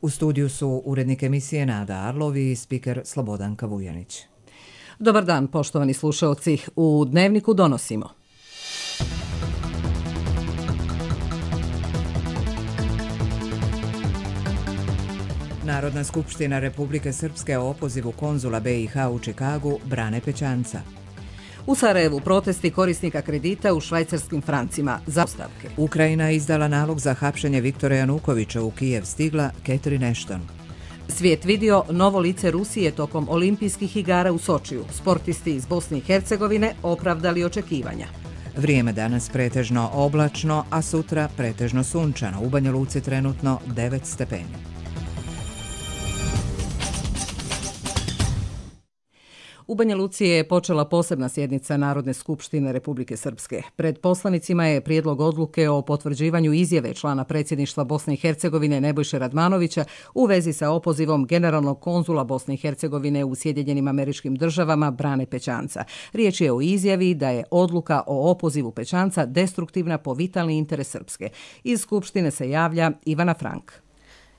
U studiju su urednik emisije Nada Arlov i spiker Slobodanka Vujanić. Dobar dan, poštovani slušaoci. U Dnevniku donosimo. Narodna skupština Republike Srpske o opozivu konzula BiH u Čikagu brane Pećanca. U Sarajevu protesti korisnika kredita u švajcarskim francima za ostavke. Ukrajina izdala nalog za hapšenje Viktora Janukovića, u Kijev stigla Catherine Ashton. Svijet vidio novo lice Rusije tokom olimpijskih igara u Sočiju. Sportisti iz Bosne i Hercegovine opravdali očekivanja. Vrijeme danas pretežno oblačno, a sutra pretežno sunčano. U Banja Luci trenutno 9 stepeni. U Banja Luci je počela posebna sjednica Narodne skupštine Republike Srpske. Pred poslanicima je prijedlog odluke o potvrđivanju izjave člana predsjedništva Bosne i Hercegovine Nebojše Radmanovića u vezi sa opozivom generalnog konzula Bosne i Hercegovine u Sjedinjenim Američkim Državama Brane Pećanca. Riječ je o izjavi da je odluka o opozivu Pećanca destruktivna po vitalni interes Srpske. Iz skupštine se javlja Ivana Frank.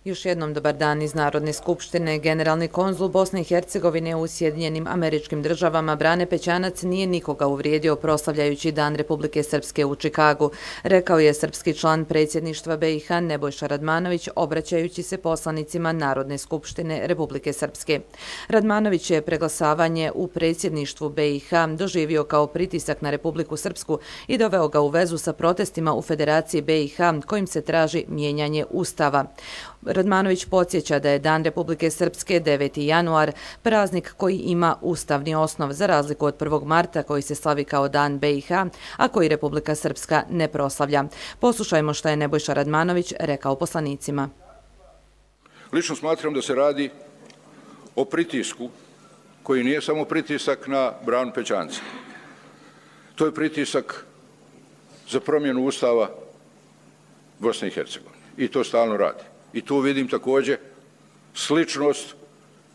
Još jednom dobar dan iz Narodne skupštine. Generalni konzul Bosne i Hercegovine u Sjedinjenim Američkim Državama Brane Pećanac nije nikoga uvrijedio proslavljajući Dan Republike Srpske u Čikagu, rekao je srpski član predsjedništva BiH Nebojša Radmanović obraćajući se poslanicima Narodne skupštine Republike Srpske. Radmanović je preglasavanje u predsjedništvu BiH doživio kao pritisak na Republiku Srpsku i doveo ga u vezu sa protestima u Federaciji BiH kojim se traži mijenjanje Ustava. Radmanović podsjeća da je Dan Republike Srpske 9. januar praznik koji ima ustavni osnov za razliku od 1. marta koji se slavi kao Dan BiH, a koji Republika Srpska ne proslavlja. Poslušajmo šta je Nebojša Radmanović rekao poslanicima. Lično smatram da se radi o pritisku koji nije samo pritisak na Branu Pećanca. To je pritisak za promjenu Ustava Bosne i Hercegovine i to stalno radi. I tu vidim također sličnost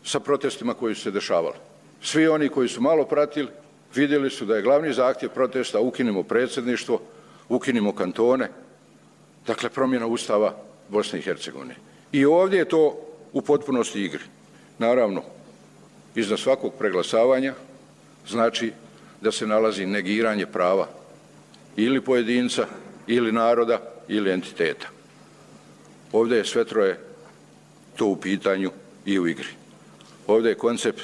sa protestima koji su se dešavali. Svi oni koji su malo pratili vidjeli su da je glavni zahtjev protesta ukinimo predsjedništvo, ukinimo kantone, dakle promjena Ustava Bosne i Hercegovine. I ovdje je to u potpunosti igri. Naravno, iznad svakog preglasavanja znači da se nalazi negiranje prava ili pojedinca, ili naroda, ili entiteta. Ovdje je sve troje to u pitanju i u igri. Ovdje je koncept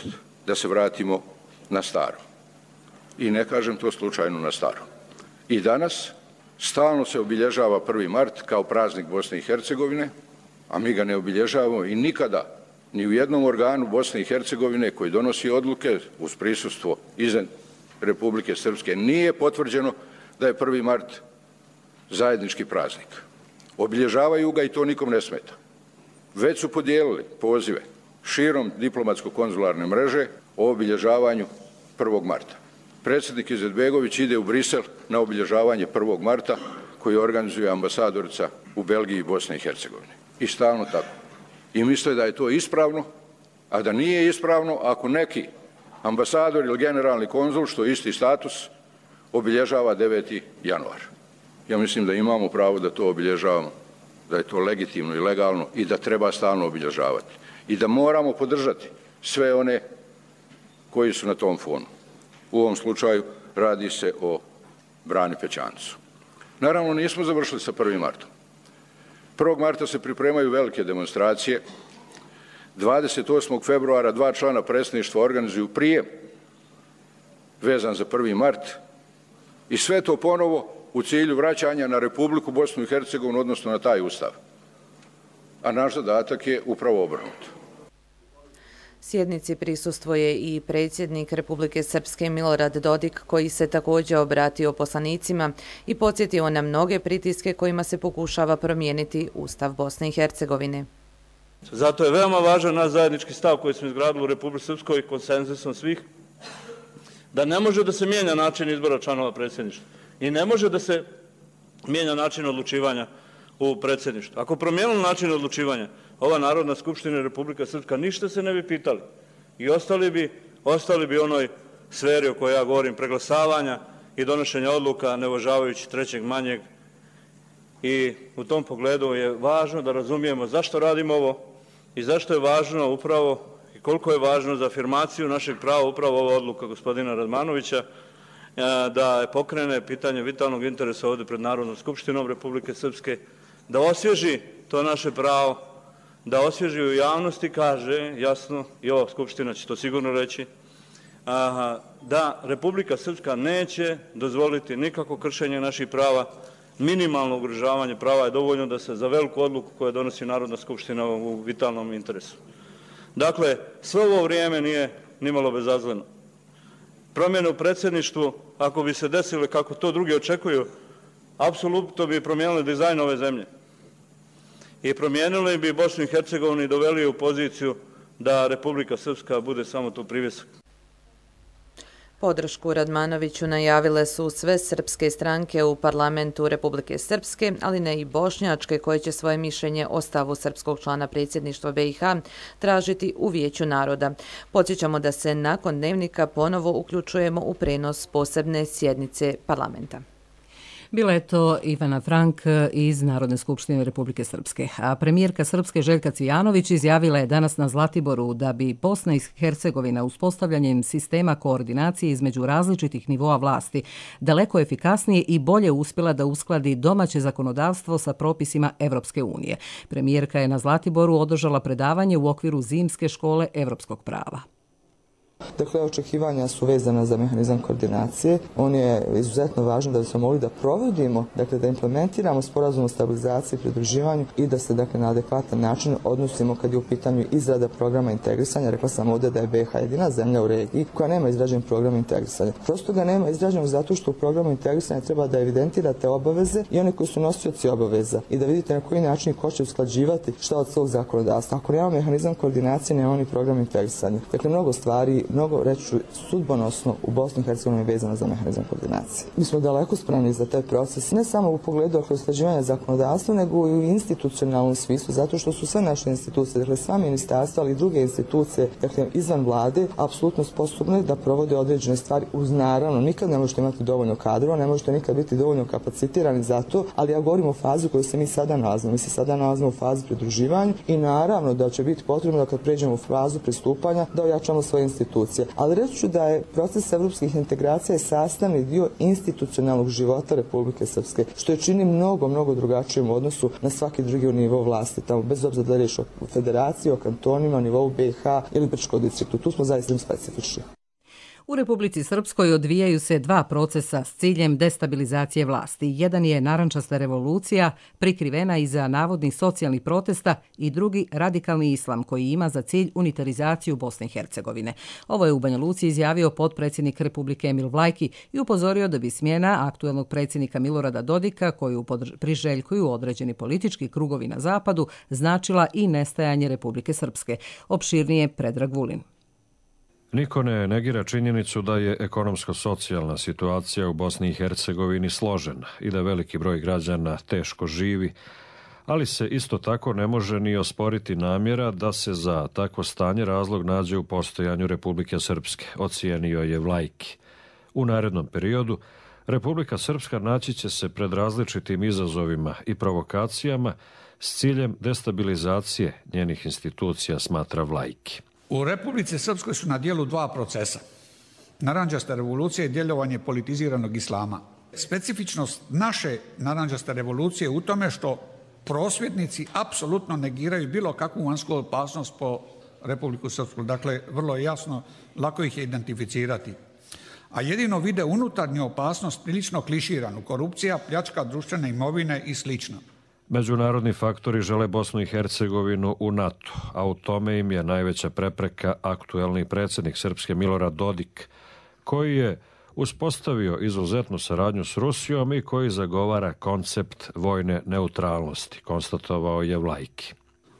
da se vratimo na staro. I ne kažem to slučajno na staro. I danas stalno se obilježava 1. mart kao praznik Bosne i Hercegovine, a mi ga ne obilježavamo i nikada ni u jednom organu Bosne i Hercegovine koji donosi odluke uz prisustvo izvan Republike Srpske nije potvrđeno da je 1. mart zajednički praznik. Obilježavaju ga i to nikom ne smeta. Već su podijelili pozive širom diplomatsko-konzularne mreže o obilježavanju 1. marta. Predsjednik Izetbegović ide u Brisel na obilježavanje 1. marta koji organizuje ambasadorica u Belgiji i Bosne i Hercegovine. I stalno tako. I misle da je to ispravno, a da nije ispravno ako neki ambasador ili generalni konzul, što je isti status, obilježava 9. januar. Ja mislim da imamo pravo da to obilježavamo, da je to legitimno i legalno i da treba stalno obilježavati. I da moramo podržati sve one koji su na tom fonu. U ovom slučaju radi se o Brani Pećancu. Naravno, nismo završili sa 1. martom. 1. marta se pripremaju velike demonstracije. 28. februara 2 člana predsjedništva organizuju prijem vezan za 1. mart i sve to ponovo u cilju vraćanja na Republiku Bosnu i Hercegovinu, odnosno na taj ustav. A naš zadatak je upravo obrnuto. Sjednici prisustvuje i predsjednik Republike Srpske Milorad Dodik, koji se također obratio poslanicima i podsjetio na mnoge pritiske kojima se pokušava promijeniti Ustav Bosne i Hercegovine. Zato je veoma važan naš zajednički stav koji smo izgradili u Republici Srpskoj konsenzusom svih, da ne može da se mijenja način izbora članova predsjedništva i ne može da se mijenja način odlučivanja u predsjedništvu. Ako promijenimo način odlučivanja, ova Narodna skupština Republika Srpska ništa se ne bi pitali i ostali bi onoj sferi o kojoj ja govorim, preglasavanja i donošenja odluka ne uvažavajući trećeg manjeg. I u tom pogledu je važno da razumijemo zašto radimo ovo i zašto je važno upravo i koliko je važno za afirmaciju našeg prava upravo ova odluka gospodina Radmanovića da pokrene pitanje vitalnog interesa ovdje pred Narodnom skupštinom Republike Srpske, da osvježi to naše pravo, da osvježi u javnosti, kaže jasno, i ova skupština će to sigurno reći, da Republika Srpska neće dozvoliti nikakvo kršenje naših prava, minimalno ugrožavanje prava je dovoljno da se za veliku odluku koju donosi Narodna skupština u vitalnom interesu. Dakle, sve ovo vrijeme nije nimalo bezazleno. Promjene u predsjedništvu, ako bi se desile kako to drugi očekuju, apsolutno bi promijenili dizajn ove zemlje. I promijenili bi Bosnu i Hercegovinu i doveli u poziciju da Republika Srpska bude samo tu privjesak. Podršku Radmanoviću najavile su sve srpske stranke u parlamentu Republike Srpske, ali ne i bošnjačke, koje će svoje mišljenje o stavu srpskog člana predsjedništva BiH tražiti u Vijeću naroda. Podsjećamo da se nakon dnevnika ponovo uključujemo u prenos posebne sjednice parlamenta. Bila je to Ivana Frank iz Narodne skupštine Republike Srpske. A premijerka Srpske Željka Cvijanović izjavila je danas na Zlatiboru da bi Bosna i Hercegovina uspostavljanjem sistema koordinacije između različitih nivoa vlasti daleko efikasnije i bolje uspjela da uskladi domaće zakonodavstvo sa propisima Evropske unije. Premijerka je na Zlatiboru održala predavanje u okviru Zimske škole evropskog prava. Dakle, očekivanja su vezana za mehanizam koordinacije. On je izuzetno važan da bismo mogli da provodimo, dakle da implementiramo sporazum o stabilizaciji i pridruživanju i da se dakle na adekvatan način odnosimo kad je u pitanju izrada programa integrisanja. Rekla sam ovdje da je BiH jedina zemlja u regiji koja nema izrađen program integrisanja. Prosto ga nema izrađenog zato što u programu integrisanja treba da evidentirate obaveze i one koji su nosioci obaveza i da vidite na koji način ko će usklađivati šta od svog zakonodavstva. Ako nema mehanizam koordinacije, nema ni program integrisanja. Dakle, mnogo stvari, mnogo reći sudbonosno u Bosni i Hercegovini vezano za mehanizam koordinacije. Mi smo daleko spremni za taj proces, ne samo u pogledu usklađivanja zakonodavstva, nego i u institucionalnom smislu, zato što su sve naše institucije, dakle sva ministarstva, ali i druge institucije, dakle izvan vlade, apsolutno sposobne da provode određene stvari uz naravno. Nikad ne možete imati dovoljno kadrova, ne možete nikad biti dovoljno kapacitirani za to, ali ja govorim o fazi u kojoj se mi sada nalazimo. Mi se sada nalazimo u fazi pridruživanja i naravno da će biti potrebno da kad pređemo u fazu pristupanja da ojačamo svoje institucije. Ali reći ću da je proces evropskih integracija sastavni dio institucionalnog života Republike Srpske, što je čini mnogo drugačijim u odnosu na svaki drugi nivo vlasti, tamo bez obzira da je riječ o federaciji, o kantonima, o nivou BiH ili Brčkog distriktu. Tu smo zaista specifični. U Republici Srpskoj odvijaju se dva procesa s ciljem destabilizacije vlasti. Jedan je narančasta revolucija, prikrivena iza navodnih socijalnih protesta, i drugi radikalni islam koji ima za cilj unitarizaciju Bosne i Hercegovine. Ovo je u Banja Luci izjavio potpredsjednik Republike Emil Vlajki i upozorio da bi smjena aktuelnog predsjednika Milorada Dodika, koju priželjkuju određeni politički krugovi na zapadu, značila i nestajanje Republike Srpske. Opširnije Predrag Vulin. Niko ne negira činjenicu da je ekonomsko-socijalna situacija u Bosni i Hercegovini složena i da veliki broj građana teško živi, ali se isto tako ne može ni osporiti namjera da se za takvo stanje razlog nađe u postojanju Republike Srpske, ocijenio je Vlajki. U narednom periodu Republika Srpska naći će se pred različitim izazovima i provokacijama s ciljem destabilizacije njenih institucija, smatra Vlajki. U Republici Srpskoj su na dijelu dva procesa. Narančasta revolucija i djelovanje politiziranog islama. Specifičnost naše narančaste revolucije je u tome što prosvjednici apsolutno negiraju bilo kakvu vanjsku opasnost po Republiku Srpsku. Dakle, vrlo je jasno, lako ih je identificirati. A jedino vide unutarnju opasnost prilično kliširanu, korupcija, pljačka društvene imovine i slično. Međunarodni faktori žele Bosnu i Hercegovinu u NATO, a u tome im je najveća prepreka aktuelni predsjednik Srpske Milorad Dodik, koji je uspostavio izuzetnu saradnju s Rusijom i koji zagovara koncept vojne neutralnosti, konstatovao je Vlajki.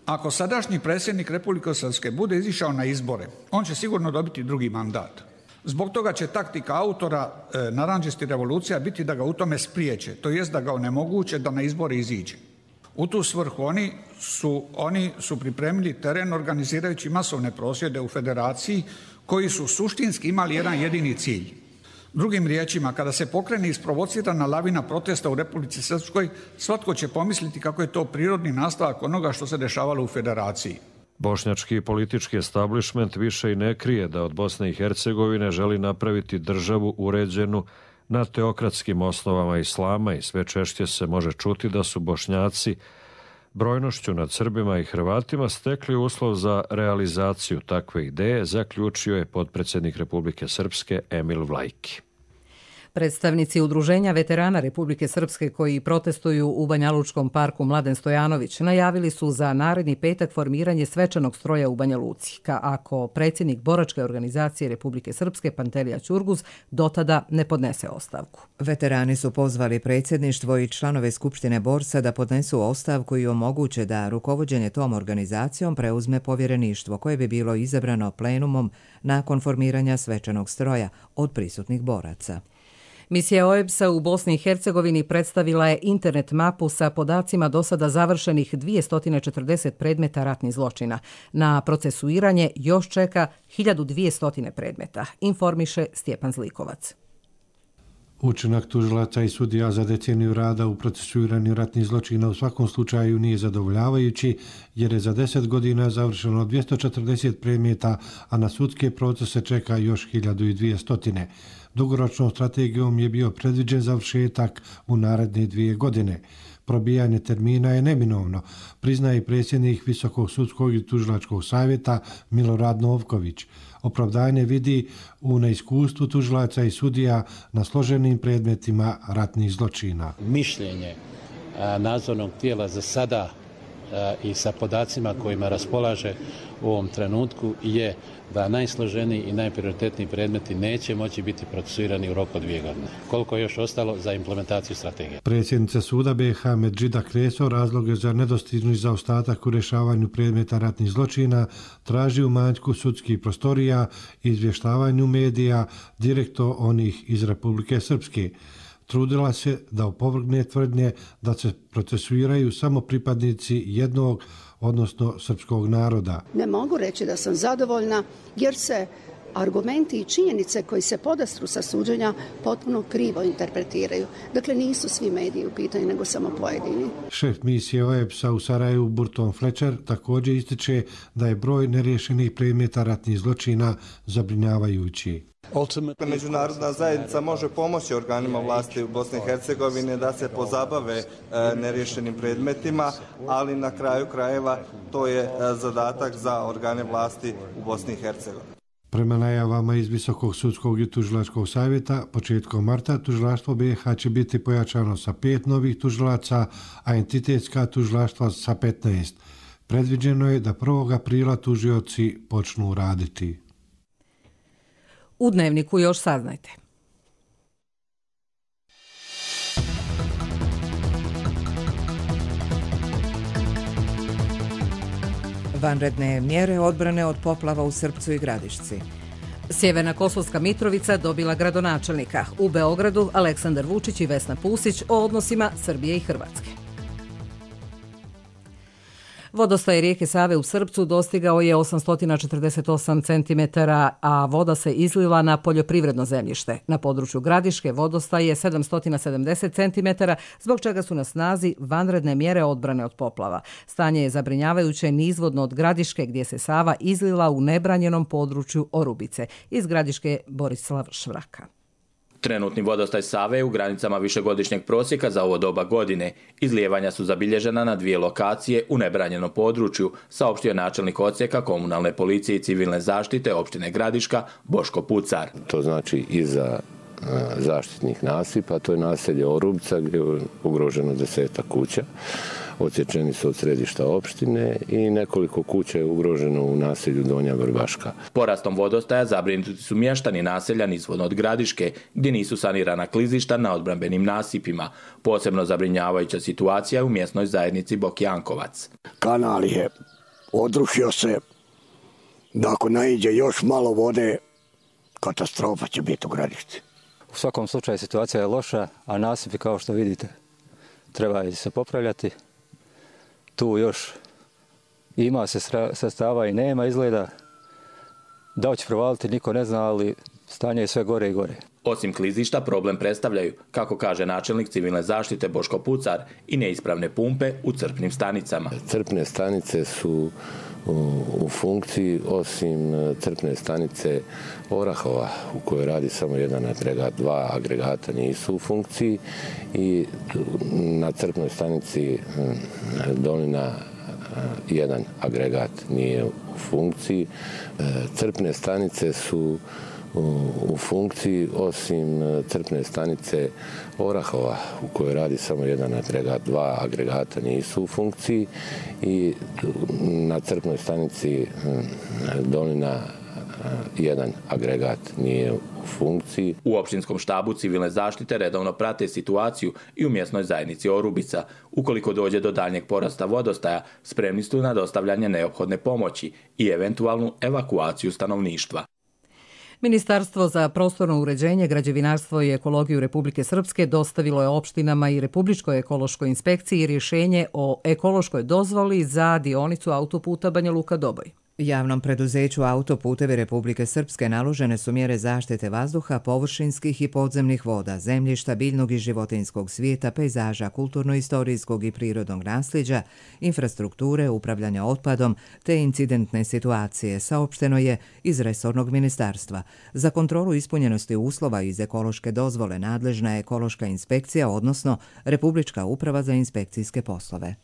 Ako sadašnji predsjednik Republike Srpske bude izišao na izbore, on će sigurno dobiti drugi mandat. Zbog toga će taktika autora narančastih revolucija biti da ga u tome spriječe, to jest da ga onemoguće da na izbore iziđe. U tu svrhu oni su pripremili teren organizirajući masovne prosvjede u federaciji koji su suštinski imali jedan jedini cilj. Drugim riječima, kada se pokrene isprovocirana lavina protesta u Republici Srpskoj, svatko će pomisliti kako je to prirodni nastavak onoga što se dešavalo u federaciji. Bošnjački politički establishment više i ne krije da od Bosne i Hercegovine želi napraviti državu uređenu na teokratskim osnovama islama i sve češće se može čuti da su Bošnjaci brojnošću nad Srbima i Hrvatima stekli uslov za realizaciju takve ideje, zaključio je potpredsjednik Republike Srpske Emil Vlajki. Predstavnici Udruženja veterana Republike Srpske koji protestuju u Banjalučkom parku Mladen Stojanović najavili su za naredni petak formiranje svečanog stroja u Banja Luci, ako predsjednik boračke organizacije Republike Srpske Pantelija Ćurguz dotada ne podnese ostavku. Veterani su pozvali predsjedništvo i članove Skupštine Borsa da podnesu ostavku i omoguće da rukovođenje tom organizacijom preuzme povjereništvo koje bi bilo izabrano plenumom nakon formiranja svečanog stroja od prisutnih boraca. Misija OEBS-a u Bosni i Hercegovini predstavila je internet mapu sa podacima do sada završenih 240 predmeta ratnih zločina. Na procesuiranje još čeka 1200 predmeta, informiše Stjepan Zlikovac. Učinak tužilaca i sudija za deceniju rada u procesuiranju ratnih zločina u svakom slučaju nije zadovoljavajući, jer je za 10 godina završeno 240 predmeta, a na sudske procese čeka još 1200. Dugoročnom strategijom je bio predviđen završetak u naredne 2 godine. Probijanje termina je neminovno, priznaje predsjednik Visokog sudskog i tužilačkog savjeta Milorad Novković. Opravdanje vidi u neiskustvu tužilaca i sudija na složenim predmetima ratnih zločina. Mišljenje nadzornog tijela za sada i sa podacima kojima raspolaže u ovom trenutku je da najsloženiji i najprioritetniji predmeti neće moći biti procesuirani u roku od 2 godine. Koliko je još ostalo za implementaciju strategije? Predsjednica suda BiH Medžida Kreso razloge za nedostižni zaostatak u rješavanju predmeta ratnih zločina traži u manjku sudskih prostorija i izvještavanju medija direktno onih iz Republike Srpske. Trudila se da opovrgne tvrdnje da se procesuiraju samo pripadnici jednog, odnosno srpskog naroda. Ne mogu reći da sam zadovoljna jer se argumenti i činjenice koji se podastru sa suđenja potpuno krivo interpretiraju. Dakle, nisu svi mediji u pitanju, nego samo pojedini. Šef misije OEBS-a u Sarajevu Burton Fletcher također ističe da je broj neriješenih predmeta ratnih zločina zabrinjavajući. Međunarodna zajednica može pomoći organima vlasti u Bosni i Hercegovini da se pozabave neriješenim predmetima, ali na kraju krajeva to je zadatak za organe vlasti u Bosni i Hercegovini. Prema najavama iz Visokog sudskog i tužilačkog savjeta, početkom marta tužilaštvo BiH će biti pojačano sa 5 novih tužilaca, a entitetska tužilaštva sa 15. Predviđeno je da 1. aprila tužioci počnu raditi. U Dnevniku još saznajte. Vanredne mjere odbrane od poplava u Srpcu i Gradišci. Sjeverna Kosovska Mitrovica dobila gradonačelnika. U Beogradu Aleksandar Vučić i Vesna Pusić o odnosima Srbije i Hrvatske. Vodostaj rijeke Save u Srpcu dostigao je 848 cm, a voda se izlila na poljoprivredno zemljište. Na području Gradiške vodostaj je 770 cm, zbog čega su na snazi vanredne mjere odbrane od poplava. Stanje je zabrinjavajuće nizvodno od Gradiške, gdje se Sava izlila u nebranjenom području Orubice. Iz Gradiške Borislav Švraka. Trenutni vodostaj Save je u granicama višegodišnjeg prosjeka za ovo doba godine. Izlijevanja su zabilježena na 2 lokacije u nebranjenom području, saopštio načelnik odsjeka komunalne policije i civilne zaštite opštine Gradiška Boško Pucar. To znači iza zaštitnih nasipa, to je naselje Orubica gdje je ugroženo 10 kuća. Odsječeni su od središta opštine i nekoliko kuća je ugroženo u naselju Donja Vrbaška. Porastom vodostaja zabrinuti su mještani naselja nizvodno od Gradiške, gdje nisu sanirana klizišta na odbrambenim nasipima. Posebno zabrinjavajuća situacija u mjesnoj zajednici Bokjankovac. Kanal je odrušio se, da ako naiđe još malo vode, katastrofa će biti u Gradišci. U svakom slučaju situacija je loša, a nasipi, kao što vidite, treba se popravljati. Tu još ima se sredstava i nema izgleda. Da će provaliti, niko ne zna, ali stanje je sve gore i gore. Osim klizišta, problem predstavljaju, kako kaže načelnik civilne zaštite Boško Pucar, i neispravne pumpe u crpnim stanicama. Crpne stanice su u funkciji, osim crpne stanice Orahova u kojoj radi samo jedan agregat, dva agregata nisu u funkciji i na crpnoj stanici Dolina jedan agregat nije u funkciji. Crpne stanice su u funkciji, osim crpne stanice Orahova u kojoj radi samo jedan agregat, dva agregata nisu u funkciji i na crpnoj stanici Dolina jedan agregat nije u funkciji. U opštinskom štabu civilne zaštite redovno prate situaciju i u mjesnoj zajednici Orubica. Ukoliko dođe do daljnjeg porasta vodostaja, spremni su na dostavljanje neophodne pomoći i eventualnu evakuaciju stanovništva. Ministarstvo za prostorno uređenje, građevinarstvo i ekologiju Republike Srpske dostavilo je opštinama i Republičkoj ekološkoj inspekciji rješenje o ekološkoj dozvoli za dionicu autoputa Banja Luka-Doboj. Javnom preduzeću Autoputevi Republike Srpske naložene su mjere zaštite vazduha, površinskih i podzemnih voda, zemljišta, biljnog i životinjskog svijeta, pejzaža, kulturno-istorijskog i prirodnog nasljeđa, infrastrukture, upravljanja otpadom te incidentne situacije, saopšteno je iz resornog ministarstva. Za kontrolu ispunjenosti uslova iz ekološke dozvole nadležna je ekološka inspekcija, odnosno Republička uprava za inspekcijske poslove.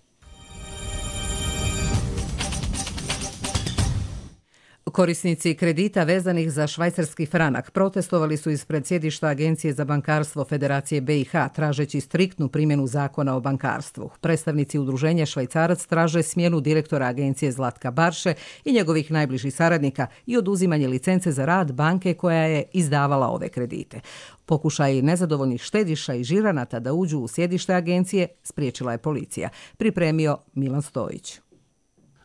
Korisnici kredita vezanih za švajcarski franak protestovali su ispred sjedišta Agencije za bankarstvo Federacije BiH tražeći striktnu primjenu zakona o bankarstvu. Predstavnici udruženja Švajcarac traže smjenu direktora agencije Zlatka Barše i njegovih najbližih saradnika i oduzimanje licence za rad banke koja je izdavala ove kredite. Pokušaj nezadovoljnih štediša i žiranata da uđu u sjedište agencije spriječila je policija. Pripremio Milan Stojić.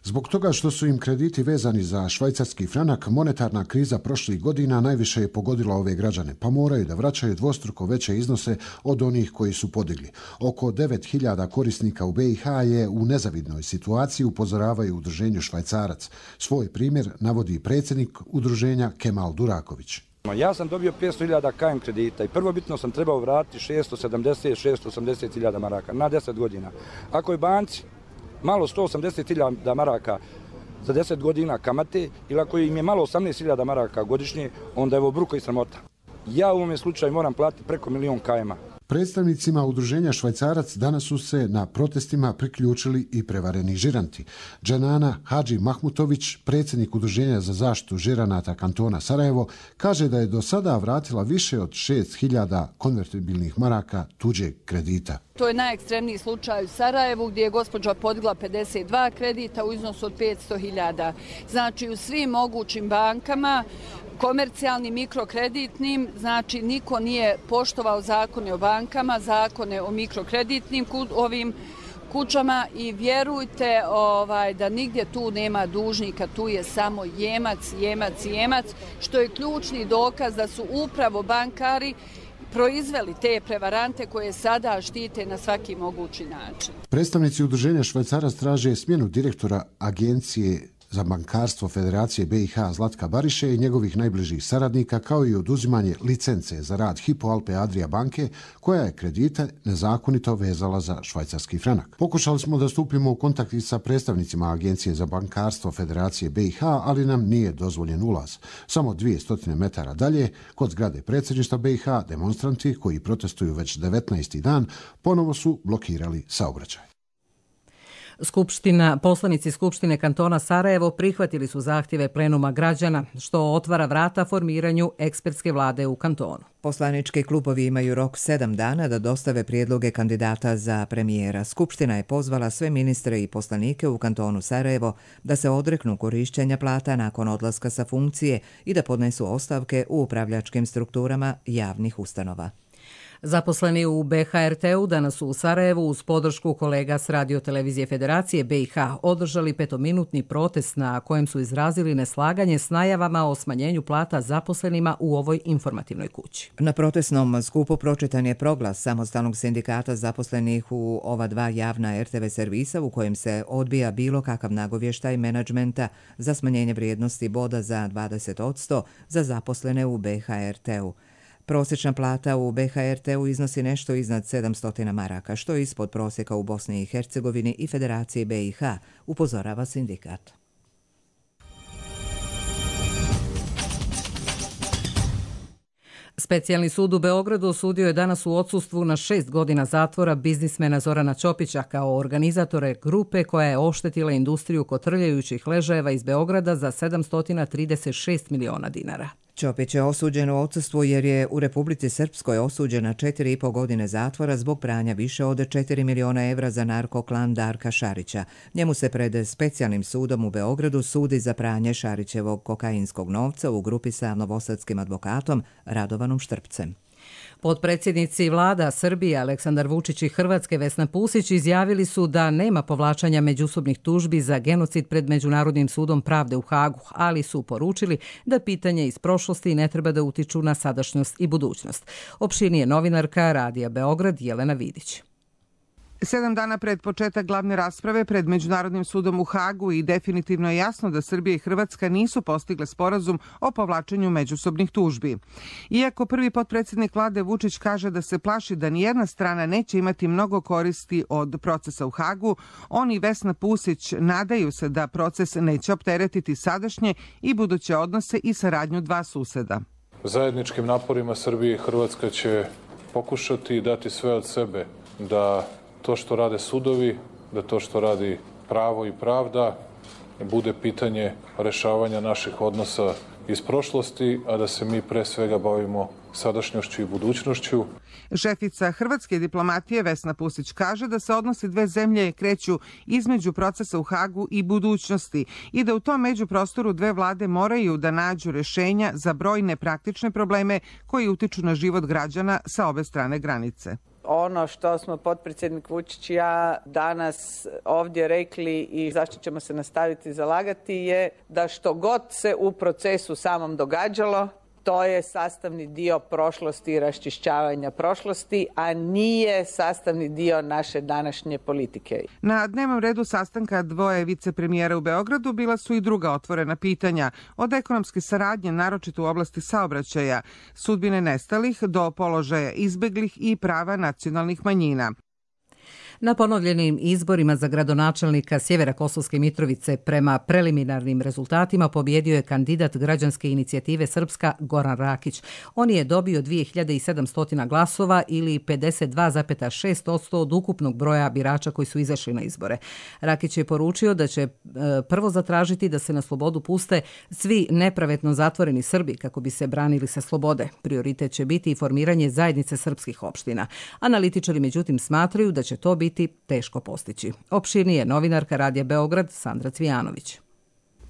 Zbog toga što su im krediti vezani za švajcarski franak, monetarna kriza prošlih godina najviše je pogodila ove građane, pa moraju da vraćaju dvostruko veće iznose od onih koji su podigli. Oko 9.000 korisnika u BiH je u nezavidnoj situaciji, upozoravaju udruženju Švajcarac. Svoj primjer navodi predsjednik udruženja Kemal Duraković. Ja sam dobio 500.000 KM kredita i prvobitno sam trebao vratiti 680.000 maraka na 10 godina. Ako je banci malo 180.000 maraka za 10 godina kamate ili ako im je malo 18.000 maraka godišnje, onda je ovo bruko i sramota. Ja u ovom slučaju moram platiti preko 1.000.000 KM-a. Predstavnicima udruženja Švajcarac danas su se na protestima priključili i prevareni žiranti. Dženana Hadži Mahmutović, predsjednik udruženja za zaštitu žiranata kantona Sarajevo, kaže da je do sada vratila više od 6.000 konvertibilnih maraka tuđeg kredita. To je najekstremniji slučaj u Sarajevu gdje je gospođa podigla 52 kredita u iznosu od 500.000. Znači u svim mogućim bankama, komercijalnim, mikrokreditnim, znači niko nije poštovao zakone o bankama, zakone o mikrokreditnim ovim kućama i vjerujte da nigdje tu nema dužnika, tu je samo jemac, što je ključni dokaz da su upravo bankari proizveli te prevarante koje sada štite na svaki mogući način. Predstavnici udruženja Švajcarac traže smjenu direktora Agencije za bankarstvo Federacije BiH Zlatka Bariše i njegovih najbližih saradnika, kao i oduzimanje licence za rad Hypo Alpe Adria banke, koja je kredite nezakonito vezala za švajcarski franak. Pokušali smo da stupimo u kontakt sa predstavnicima Agencije za bankarstvo Federacije BiH, ali nam nije dozvoljen ulaz. Samo 200 metara dalje, kod zgrade predsjedništva BiH, demonstranti koji protestuju već 19. dan, ponovo su blokirali saobraćaj. Poslanici Skupštine kantona Sarajevo prihvatili su zahtjeve plenuma građana, što otvara vrata formiranju ekspertske vlade u kantonu. Poslanički klubovi imaju rok 7 dana da dostave prijedloge kandidata za premijera. Skupština je pozvala sve ministre i poslanike u kantonu Sarajevo da se odreknu korišćenja plata nakon odlaska sa funkcije i da podnesu ostavke u upravljačkim strukturama javnih ustanova. Zaposleni u BHRT-u danas su u Sarajevu uz podršku kolega s radiotelevizije Federacije BiH održali 5-minutni protest na kojem su izrazili neslaganje s najavama o smanjenju plata zaposlenima u ovoj informativnoj kući. Na protestnom skupu pročitan je proglas Samostalnog sindikata zaposlenih u ova dva javna RTV servisa u kojem se odbija bilo kakav nagovještaj menadžmenta za smanjenje vrijednosti boda za 20% za zaposlene u BHRT-u. Prosječna plata u BHRT-u iznosi nešto iznad 700 maraka, što je ispod prosjeka u Bosni i Hercegovini i Federaciji BiH, upozorava sindikat. Specijalni sud u Beogradu osudio je danas u odsustvu na 6 godina zatvora biznismena Zorana Ćopića kao organizatore grupe koja je oštetila industriju kotrljajućih ležajeva iz Beograda za 736 miliona dinara. Ćopić je osuđen u odsustvu jer je u Republici Srpskoj osuđen na 4,5 godine zatvora zbog pranja više od 4 miliona evra za narkoklan Darka Šarića. Njemu se pred specijalnim sudom u Beogradu sudi za pranje Šarićevog kokainskog novca u grupi sa novosadskim advokatom Radovanom Štrpcem. Potpredsjednici vlada Srbije Aleksandar Vučić i Hrvatske Vesna Pusić izjavili su da nema povlačanja međusobnih tužbi za genocid pred Međunarodnim sudom pravde u Hagu, ali su poručili da pitanje iz prošlosti ne treba da utiču na sadašnjost i budućnost. Opširnije novinarka Radija Beograd Jelena Vidić. 7 dana pred početak glavne rasprave pred Međunarodnim sudom u Hagu i definitivno je jasno da Srbija i Hrvatska nisu postigle sporazum o povlačenju međusobnih tužbi. Iako prvi potpredsjednik vlade Vučić kaže da se plaši da nijedna strana neće imati mnogo koristi od procesa u Hagu, on i Vesna Pusić nadaju se da proces neće opteretiti sadašnje i buduće odnose i saradnju dva suseda. Zajedničkim naporima Srbija i Hrvatska će pokušati dati sve od sebe da to što rade sudovi, da to što radi pravo i pravda bude pitanje rešavanja naših odnosa iz prošlosti, a da se mi pre svega bavimo sadašnjošću i budućnošću. Šefica hrvatske diplomatije Vesna Pusić kaže da se odnosi dve zemlje kreću između procesa u Hagu i budućnosti i da u tom međuprostoru dve vlade moraju da nađu rešenja za brojne praktične probleme koji utiču na život građana sa obe strane granice. Ono što smo potpredsjednik Vučić i ja danas ovdje rekli i zašto ćemo se nastaviti zalagati je da što god se u procesu samom događalo, to je sastavni dio prošlosti i raščišćavanja prošlosti, a nije sastavni dio naše današnje politike. Na dnevnom redu sastanka dvoje vicepremijera u Beogradu bila su i druga otvorena pitanja, od ekonomske saradnje, naročito u oblasti saobraćaja, sudbine nestalih do položaja izbeglih i prava nacionalnih manjina. Na ponovljenim izborima za gradonačelnika Sjevera Kosovske Mitrovice prema preliminarnim rezultatima pobjedio je kandidat građanske inicijative Srpska Goran Rakić. On je dobio 2700 glasova ili 52,6% od ukupnog broja birača koji su izašli na izbore. Rakić je poručio da će prvo zatražiti da se na slobodu puste svi nepravedno zatvoreni Srbi kako bi se branili sa slobode. Prioritet će biti i formiranje zajednice srpskih opština. Analitičari međutim smatraju da će to biti teško postići. Opširnije novinarka Radija Beograd Sandra Cvijanović.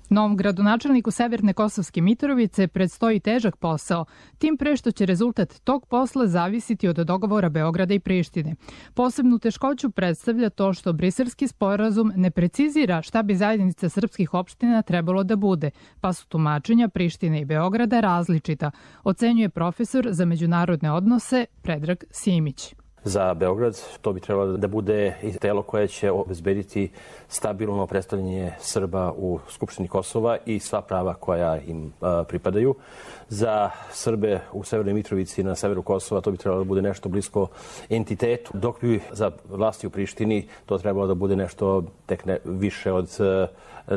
Novom gradonačelniku Severne Kosovske Mitrovice predstoji težak posao, tim pre što će rezultat tog posla zavisiti od dogovora Beograda i Prištine. Posebnu teškoću predstavlja to što briselski sporazum ne precizira šta bi zajednica srpskih opština trebalo da bude, pa su tumačenja Prištine i Beograda različita, ocenjuje profesor za međunarodne odnose Predrag Simić. Za Beograd to bi trebalo da bude i telo koje će obezbediti stabilno predstavljanje Srba u Skupštini Kosova i sva prava koja im pripadaju. Za Srbe u Severnoj Mitrovici i na severu Kosova to bi trebalo da bude nešto blisko entitetu, dok bi za vlasti u Prištini to trebalo da bude nešto tek više od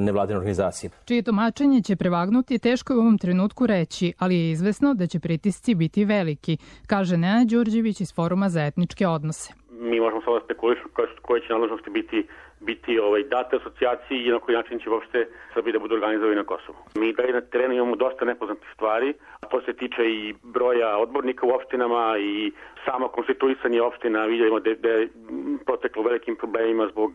nevladine organizacije. Čije tumačenje će prevagnuti teško je u ovom trenutku reći, ali je izvesno da će pritisci biti veliki, kaže Nenad Đurđević iz Foruma za etničke odnose. Mi možemo samo spekulišiti koje će nadležnosti biti date asocijaciji i na koji način će uopšte Srbi da budu organizovani na Kosovu. Mi dalje na terenu imamo dosta nepoznatih stvari, a to se tiče i broja odbornika u opštinama i samo konstituisanje opština. Vidimo da je proteklo velikim problemima zbog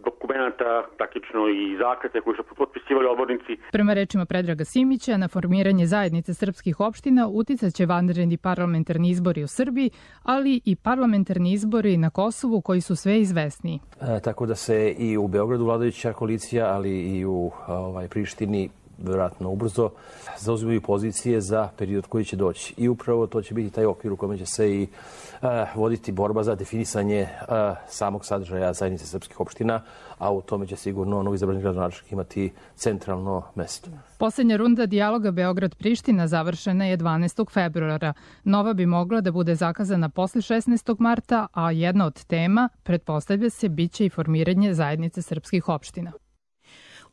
dokumenata, taktično i zakrete koji su potpisivali odbornici. Prema rečima Predraga Simića, na formiranje zajednice srpskih opština uticat će vanredni parlamentarni izbori u Srbiji, ali i parlamentarni izbori na Kosovu koji su sve izvesniji. Tako da se i u Beogradu vladajuća koalicija, ali i u Prištini vjerojatno ubrzo, zauzimaju pozicije za period koji će doći. I upravo to će biti taj okvir u kojem će se i voditi borba za definisanje samog sadržaja zajednice srpskih opština, a u tome će sigurno novi izabrani gradonačelnik imati centralno mesto. Posljednja runda dijaloga Beograd-Priština završena je 12. februara. Nova bi mogla da bude zakazana posle 16. marta, a jedna od tema, pretpostavlja se, biće i formiranje zajednice srpskih opština.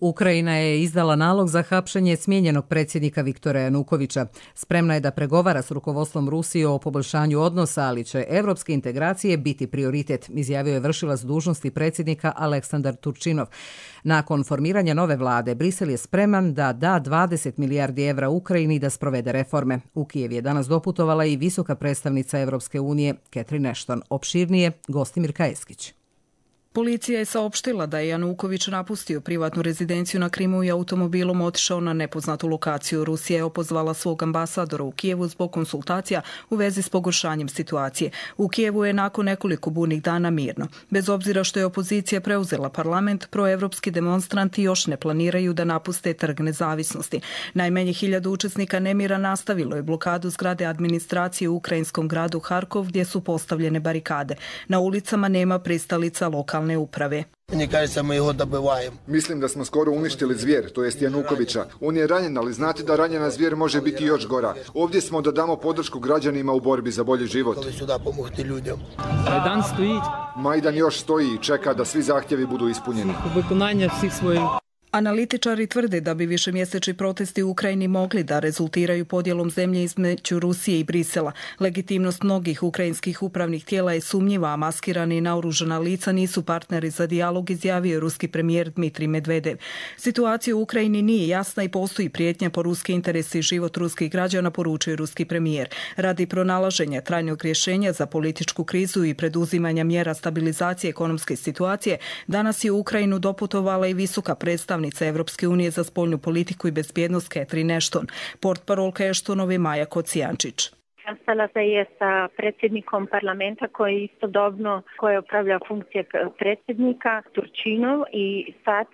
Ukrajina je izdala nalog za hapšenje smijenjenog predsjednika Viktora Janukovića. Spremna je da pregovara s rukovodstvom Rusije o poboljšanju odnosa, ali će evropske integracije biti prioritet, izjavio je vršilac dužnosti predsjednika Aleksandar Turčinov. Nakon formiranja nove vlade, Brisel je spreman da da 20 milijardi evra Ukrajini da sprovede reforme. U Kijev je danas doputovala i visoka predstavnica Evropske unije, Catherine Ashton. Opširnije, Gostimir Kajeskić. Policija je saopštila da je Januković napustio privatnu rezidenciju na Krimu i automobilom otišao na nepoznatu lokaciju. Rusija je opozvala svog ambasadora u Kijevu zbog konsultacija u vezi s pogoršanjem situacije. U Kijevu je nakon nekoliko burnih dana mirno. Bez obzira što je opozicija preuzela parlament, proevropski demonstranti još ne planiraju da napuste Trg nezavisnosti. Najmanje 1000 učesnika nemira nastavilo je blokadu zgrade administracije u ukrajinskom gradu Harkov gdje su postavljene barikade. Na ulicama nema pristalica lokalne uprave. Mislim da smo skoro uništili zvijer, to jest Janukovića. On je ranjen, ali znate da ranjena zvijer može biti još gora. Ovdje smo da damo podršku građanima u borbi za bolji život. Majdan još stoji i čeka da svi zahtjevi budu ispunjeni. Analitičari tvrde da bi višemjesečni protesti u Ukrajini mogli da rezultiraju podjelom zemlje između Rusije i Brisela. Legitimnost mnogih ukrajinskih upravnih tijela je sumnjiva, a maskirani i naoružana lica nisu partneri za dijalog, izjavio ruski premijer Dmitrij Medvedev. Situacija u Ukrajini nije jasna i postoji prijetnja po ruske interese i život ruskih građana, poručuje ruski premijer. Radi pronalaženja trajnog rješenja za političku krizu i preduzimanja mjera stabilizacije ekonomske situacije, danas je u Ukrajinu doputovala i visoka predstavnica Evropske unije za spoljnu politiku i bezbjednost Catherine Ashton. Portparolka Ashtonove Maja Kocijančić. Sastala se je sa predsjednikom parlamenta koji istodobno upravlja funkcije predsjednika Turčinov i sad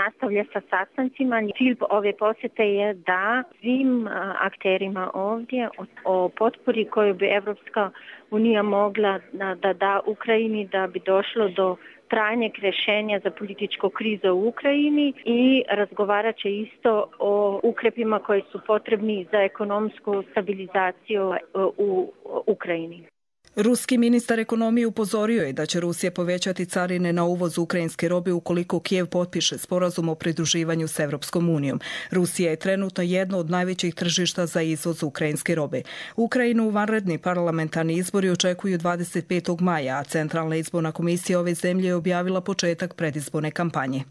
nastavlja sa sastancima. Cilj ove posjete je da svim akterima ovdje o potpori koju bi Evropska unija mogla da da Ukrajini da bi došlo do trajnjeg rješenja za političku krizu u Ukrajini i razgovarat će isto o ukrepima koji su potrebni za ekonomsku stabilizaciju u Ukrajini. Ruski ministar ekonomije upozorio je da će Rusija povećati carine na uvoz ukrajinske robe ukoliko Kijev potpiše sporazum o pridruživanju s Evropskom unijom. Rusija je trenutno jedno od najvećih tržišta za izvoz ukrajinske robe. Ukrajinu vanredni parlamentarni izbori očekuju 25. maja, a Centralna izborna komisija ove zemlje je objavila početak predizborne kampanje.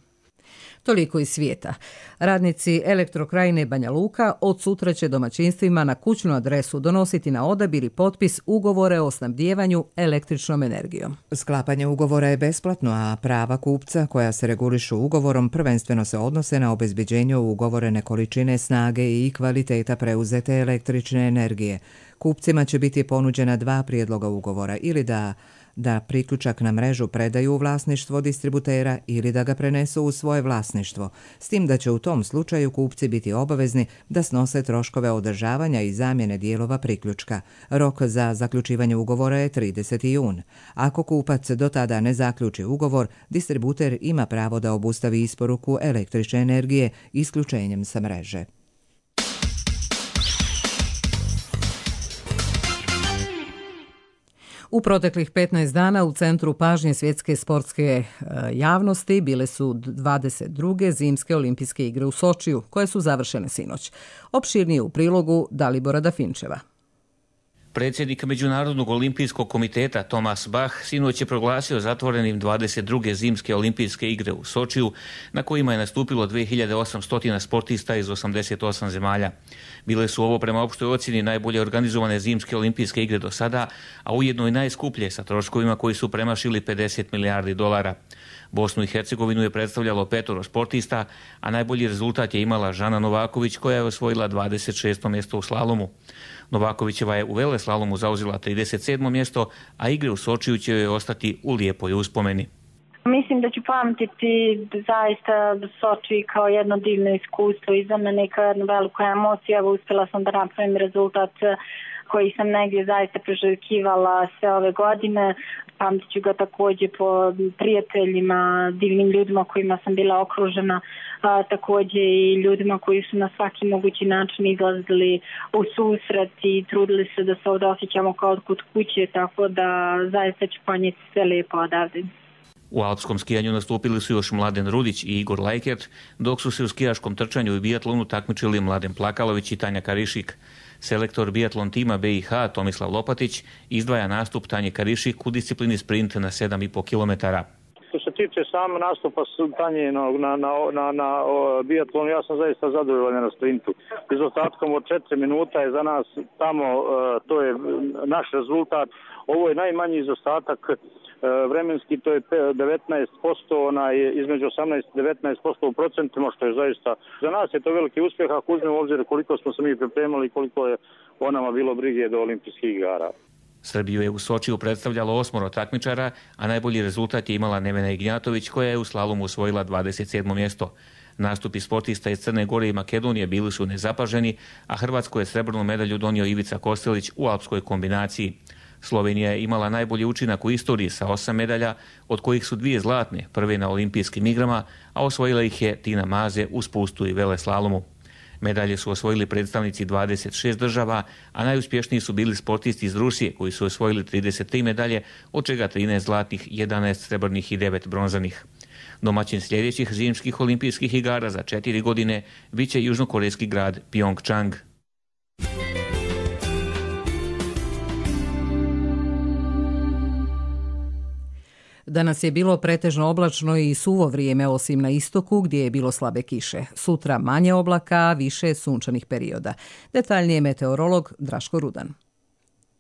Toliko iz svijeta. Radnici Elektrokrajine Banja Luka od sutra će domaćinstvima na kućnu adresu donositi na odabir i potpis ugovore o snabdijevanju električnom energijom. Sklapanje ugovora je besplatno, a prava kupca koja se regulišu ugovorom prvenstveno se odnose na obezbeđenje ugovorene količine snage i kvaliteta preuzete električne energije. Kupcima će biti ponuđena 2 prijedloga ugovora, ili da priključak na mrežu predaju u vlasništvo distributera ili da ga prenesu u svoje vlasništvo, s tim da će u tom slučaju kupci biti obavezni da snose troškove održavanja i zamjene dijelova priključka. Rok za zaključivanje ugovora je 30. jun. Ako kupac do tada ne zaključi ugovor, distributer ima pravo da obustavi isporuku električne energije isključenjem sa mreže. U proteklih 15 dana u centru pažnje svjetske sportske javnosti bile su 22. zimske olimpijske igre u Sočiju, koje su završene sinoć. Opširnije u prilogu Dalibora Dafinčeva. Predsjednik Međunarodnog olimpijskog komiteta Thomas Bach sinoć je proglasio zatvorenim 22. zimske olimpijske igre u Sočiju, na kojima je nastupilo 2800 sportista iz 88 zemalja. Bile su ovo prema opštoj ocjeni najbolje organizovane zimske olimpijske igre do sada, a ujedno i najskuplje sa troškovima koji su premašili 50 milijardi dolara. Bosnu i Hercegovinu je predstavljalo 5 sportista, a najbolji rezultat je imala Žana Novaković koja je osvojila 26. mjesto u slalomu. Novakovićeva je u veleslalomu zauzela 37. mjesto, a igre u Sočiju će joj ostati u lijepoj uspomeni. Mislim da ću pamtiti zaista Soči kao jedno divno iskustvo i za mene kao jednu veliku emociju. Evo, uspjela sam da napravim rezultat koji sam negdje zaista priželjkivala sve ove godine. Pamtit ću ga također po prijateljima, divnim ljudima kojima sam bila okružena, također i ljudima koji su na svaki mogući način izlazili u susret i trudili se da se ovdje osjećamo kao kod kuće, tako da zaista ću ponijeti sve lijepo odavde. U alpskom skijanju nastupili su još Mladen Rudić i Igor Lajkert, dok su se u skijaškom trčanju i bijatlonu takmičili Mladen Plakalović i Tanja Karišik. Selektor bijatlon tima BiH Tomislav Lopatić izdvaja nastup Tanje Karišik u disciplini sprint na 7,5 km. Što se tiče sam nastupa Tanje na bijatlonu, ja sam zaista zadovoljan na sprintu. Izostatkom od 4 minuta je za nas tamo, to je naš rezultat. Ovo je najmanji izostatak vremenski, to je 19%, između 18 i 19% u procentima, što je zaista, za nas je to veliki uspjeh ako uzmemo u obzir koliko smo se mi pripremali i koliko je o nama bilo brige do olimpijskih igara. Srbiju je u Sočiju predstavljalo 8 takmičara, a najbolji rezultat je imala Nevena Ignjatović koja je u slalomu osvojila 27. mjesto. Nastupi sportista iz Crne Gore i Makedonije bili su nezapaženi, a Hrvatsku je srebrnu medalju donio Ivica Kostelić u alpskoj kombinaciji. Slovenija je imala najbolji učinak u istoriji sa 8 medalja, od kojih su 2 zlatne, prve na olimpijskim igrama, a osvojila ih je Tina Maze u spustu i veleslalomu. Medalje su osvojili predstavnici 26 država, a najuspješniji su bili sportisti iz Rusije koji su osvojili 33 medalje, od čega 13 zlatnih, 11 srebrnih i 9 bronzanih. Domaćin sljedećih zimskih olimpijskih igara za 4 godine bit će južnokorejski grad Pyeongchang. Danas je bilo pretežno oblačno i suvo vrijeme osim na istoku gdje je bilo slabe kiše. Sutra manje oblaka, više sunčanih perioda. Detaljnije meteorolog Draško Rudan.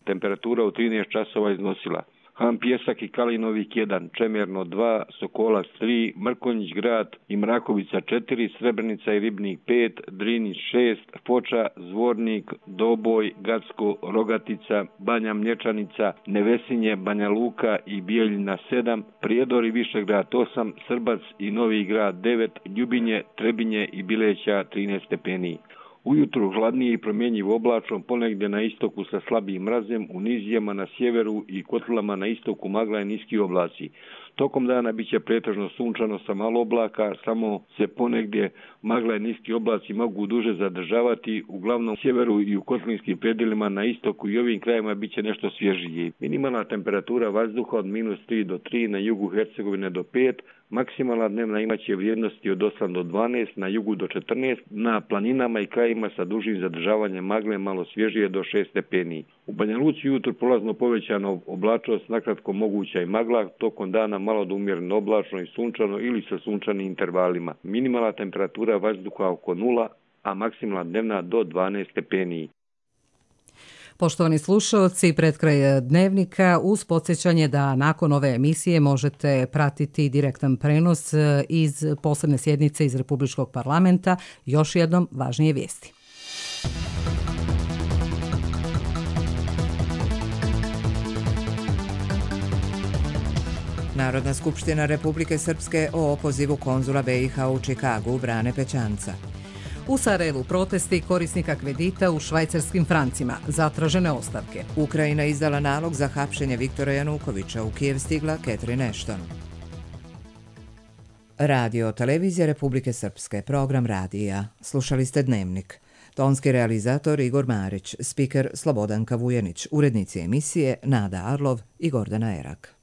Temperatura u 13 časova iznosila Han Pjesak i Kalinovik 1, Čemerno 2, Sokolac 3, Mrkonjić grad i Mrakovica 4, Srebrenica i Ribnik 5, Drinić 6, Foča, Zvornik, Doboj, Gacko, Rogatica, Banja Mlječanica, Nevesinje, Banja Luka i Bijeljina 7, Prijedor i Višegrad 8, Srbac i Novi grad 9, Ljubinje, Trebinje i Bileća 13 stepeni. Ujutru hladnije i promjenjivo oblačno, ponegdje na istoku sa slabijim mrazem, u nizijama na sjeveru i kotlama na istoku magla i niski oblaci. Tokom dana bit će pretežno sunčano sa malo oblaka, samo se ponegdje magla i niski oblaci mogu duže zadržavati, uglavnom u sjeveru i u kotlinskim predjelima na istoku i ovim krajima bit će nešto svježije. Minimalna temperatura vazduha od -3 do 3, na jugu Hercegovine do 5, maksimalna dnevna imaće vrijednosti od 8 do 12, na jugu do 14, na planinama i krajima sa dužim zadržavanjem magle malo svježije do 6 stepeni. U Banja Luci jutro prolazno povećano oblačnost, nakratko moguća i magla, tokom dana malo do umjereno oblačno i sunčano ili sa sunčanim intervalima. Minimalna temperatura vazduha oko 0, a maksimalna dnevna do 12 stepeni. Poštovani slušalci, pred kraj dnevnika uz podsjećanje da nakon ove emisije možete pratiti direktan prenos iz posebne sjednice iz Republičkog parlamenta. Još jednom važnije vijesti. Narodna skupština Republike Srpske o opozivu konzula BiH u Čikagu Brane Pećanca. U Sarajevu protesti korisnika kredita u švajcarskim francima, zatražene ostavke. Ukrajina izdala nalog za hapšenje Viktora Janukovića, u Kijev stigla Catherine Ashton. Radio Televizija Republike Srpske, program radija. Slušali ste Dnevnik. Tonski realizator Igor Marić, spiker Slobodanka Vujenić, urednici emisije Nada Arlov i Gordana Erak.